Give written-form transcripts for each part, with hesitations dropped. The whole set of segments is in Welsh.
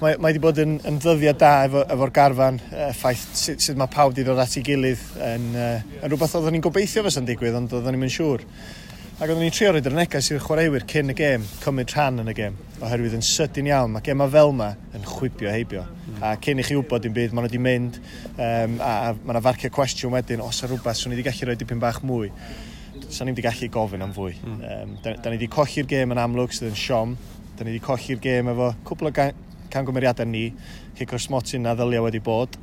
Mae wedi bod yn ddyddiad da efo'r garfan. Ffaith sut mae pawb wedi dod at ei gilydd yn rhywbeth oeddwn ni'n gobeithio fysa'n digwydd, ond oeddwn ni'n siŵr. Ac oeddwn ni'n trio roed yr neges i'r chwaraewyr cyn y gêm, cymryd rhan yn y gêm, oherwydd yn sydyn iawn, mae gemau fel yma yn chwibio heibio. A cyn i chi wybod dim byd, maen nhw wedi mynd, a mae yna farcio cwestiwn wedyn, os yna rhywbeth, swn i wedi gallu rhoi dipyn bach mwy. Sa'n ni wedi gallu gofyn am fwy. Da ni wedi colli'r gêm yn amlwg, sydd yn siom. Da ni wedi colli'r gêm efo cwpl o camgymeriadau ni, cic o'r smotyn na ddylia wedi bod,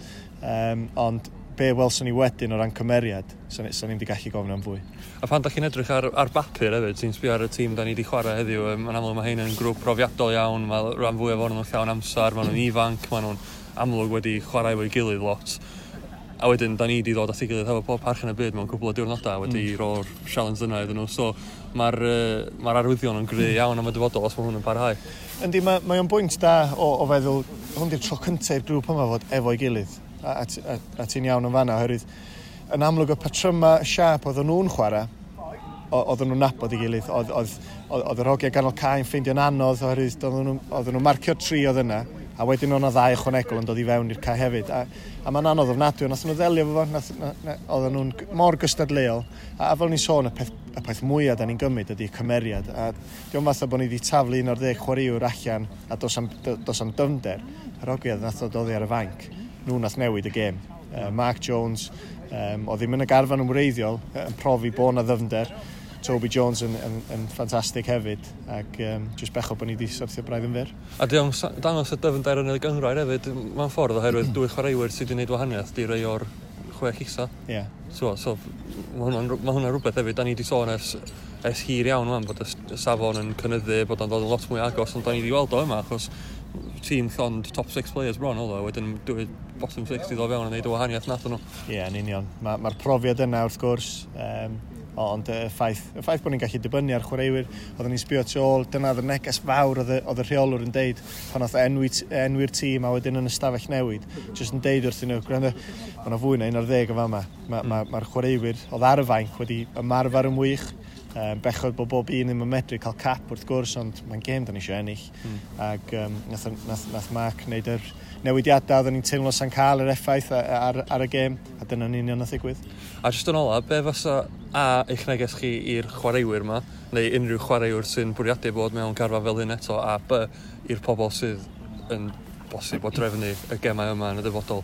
ond be welson ni wedyn o ran cymeriad, sa'n ni wedi gallu gofyn am fwy. A pan da chi'n edrych ar bapur hefyd, ti'n sbio ar y tîm da ni wedi chwarae heddiw, yn amlwg mae hein yn grŵp profiadol iawn, mae rhan fwyaf ohonyn nhw'n llawn amser, maen nhw'n ifanc, maen nhw'n amlwg wedi chwarae efo'i gilydd lot. A wedyn, da ni wedi ddod at ei gilydd hefo pob parch yn y byd mewn cwpl o diwrnodau wedi roi'r challenge yna iddyn nhw. So mae'r arwyddion yn gry iawn am y dyfodol os mae hwn yn parhau. Yndi, mae o'n bwynt da o feddwl, hwn di'r tro cyntaf i'r grŵp yma fod efo'i gilydd. A ti'n iawn yn fanna, oherwydd yn amlwg y patryma siâp oedden nhw'n chwarae, oedden nhw'n nabod ei gilydd. Oedd yr hogiau ganol cae'n ffeindio'n anodd, oherwydd oedden nhw'n marcio 3 oedd yna, a wedyn oedd yna 2 ychwanegol yn dod i fewn i'r cae hefyd. A mae'n anodd ofnadwy, ond nath nhw ddelio efo fo, oedden nhw'n mor gystadleuol. A fel ni'n sôn, y peth mwyaf da ni'n gymryd ydy'r cymeriad. A diolch fatha bod ni wedi taflu 11 chwaraewr allan a dos am dyfnder. Yr hogiau nath ddod oddi ar y fainc, nhw nath newid y gêm. Mark Jones, oedd ddim yn y garfan yn wreiddiol, yn profi bod 'na ddyfnder. Toby Jones yn ffantastig hefyd, ac jyst bechod bod ni wedi syrthio braidd yn fyr. A dangos y dyfnder yn y gynghrair hefyd, mewn ffordd, oherwydd 2 chwaraewyr sydd wedi gwneud wahaniaeth di rei o'r 6 isa. So mae hwnna'n rhywbeth hefyd, da ni wedi sôn ers hir iawn wan, bod y safon yn cynyddu, bod o'n dod yn lot mwy agos, ond da ni wedi weld o yma, achos tîm llond top 6 players bron oedd o, wedyn 2 bottom 6 i ddod fewn a wneud y wahaniaeth nath nhw. Ie, yn union. Mae'r profiad yna wrth gwrs, ond y ffaith bod ni'n gallu dibynnu ar chwaraewyr, oedden ni'n sbio tu ôl, dyna oedd y neges fawr oedd y rheolwr yn deud pan oedd enwi'r tîm a wedyn yn y stafell newid, jyst yn deud wrthyn nhw, gwrando, mae yna fwy na 11 o fama. Mae'r chwaraewyr oedd ar y fainc wedi ymarfer yn wych, bechod bod bob un ddim yn medru cael cap wrth gwrs, ond mae'n gêm da ni eisiau ennill. Ac nath Mark wneud yr newidiadau oedden ni'n teimlo sa'n cael yr effaith ar y gêm, a dyna'n union nath ddigwydd. A jyst yn ola, be fysa eich neges chi i'r chwaraewyr yma, neu unrhyw chwaraewr sy'n bwriadu bod mewn carfan fel hyn eto, a B, i'r pobl sydd yn bosib o drefnu y gemau yma yn y dyfodol?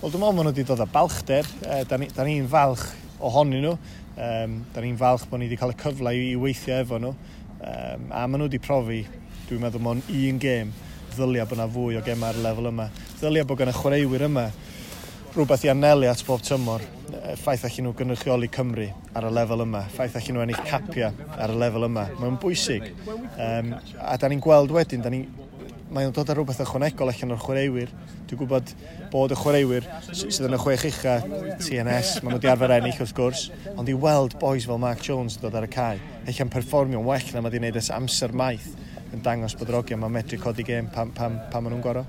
Wel, dwi'n meddwl maen nhw wedi dod â balchder. Da ni'n falch ohonyn nhw. Da ni'n falch bod ni wedi cael y cyfle i weithio efo nhw. A maen nhw wedi profi, dwi'n meddwl, mewn un gêm, ddylia bod yna fwy o gemau ar y lefel yma. Ddylia bod gan y chwaraewyr yma rhywbeth i anelu at bob tymor. Ffaith allan nhw gynrychioli Cymru ar y lefel yma. Ffaith allan nhw ennill capia ar y lefel yma. Mae'n bwysig. A da ni'n gweld wedyn, mae'n dod â rhywbeth ychwanegol allan o'r chwaraewyr. Dwi'n gwybod bod y chwaraewyr sydd yn y 6 ucha, TNS, maen nhw wedi arfer ennill wrth gwrs, ond i weld boys fel Mark Jones yn dod ar y cae, ella'n perfformio'n well na mae wedi gwneud ers amser maith, yn dangos bod yr hogiau ma'n medru codi gêm pan maen nhw'n gorau.